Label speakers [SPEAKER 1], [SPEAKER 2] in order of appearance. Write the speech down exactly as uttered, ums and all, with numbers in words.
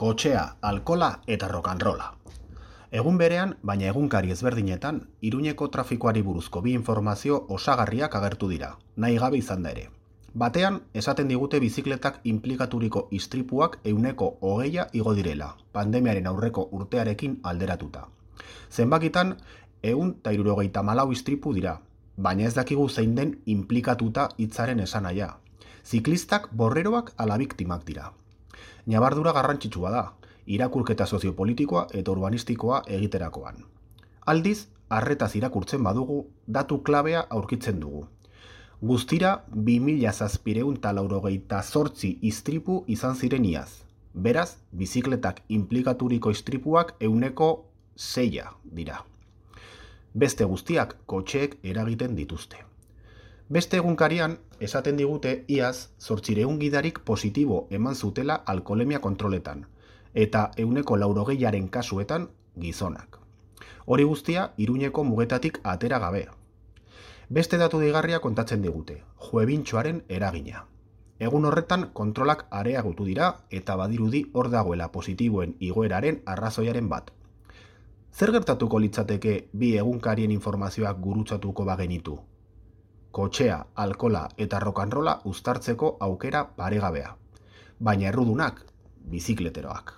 [SPEAKER 1] kotxea, alkola eta rock'n'rolla. Egun berean, baina egunkari ezberdinetan, Iruñeko trafikoari buruzko bi informazio osagarriak agertu dira, nahi gabe izan da ere. Batean, esaten digute bizikletak inplikaturiko istripuak ehuneko hogeia igo direla, pandemiaren aurreko urtearekin alderatuta. Zenbakitan, ehun eta hirurogeita hamalau istripu dira, baina ez dakigu zein den inplikatuta hitzaren esanahia. Ziklistak borreroak ala biktimak dira. Ñabardura garrantzitsua da, irakurketa soziopolitikoa eta urbanistikoa egiterakoan. Aldiz, arretaz irakurtzen badugu, datu klabea aurkitzen dugu. Guztira, bi mila zazpiehun eta laurogeita zortzi istripu izan ziren iaz. Beraz, bizikletak inplikaturiko istripuak ehuneko seia dira. Beste guztiak kotxeek eragiten dituzte. Beste egunkarian, esaten digute iaz zortziehun gidarik positibo eman zutela alkoholemia kontroletan, eta ehuneko laurogeiaren kasuetan gizonak. Hori guztia Iruñeko mugetatik atera gabe. Beste datu deigarria kontatzen digute, juebintxoaren eragina. Egun horretan kontrolak areagotu dira eta badirudi hor dagoela positiboen igoeraren arrazoiaren bat. Zer gertatuko litzateke bi egunkarien informazioak gurutzatuko bagenitu? Kotxea, alkola eta rock'n'rolla uztartzeko aukera paregabea. Baina errudunak, bizikleteroak.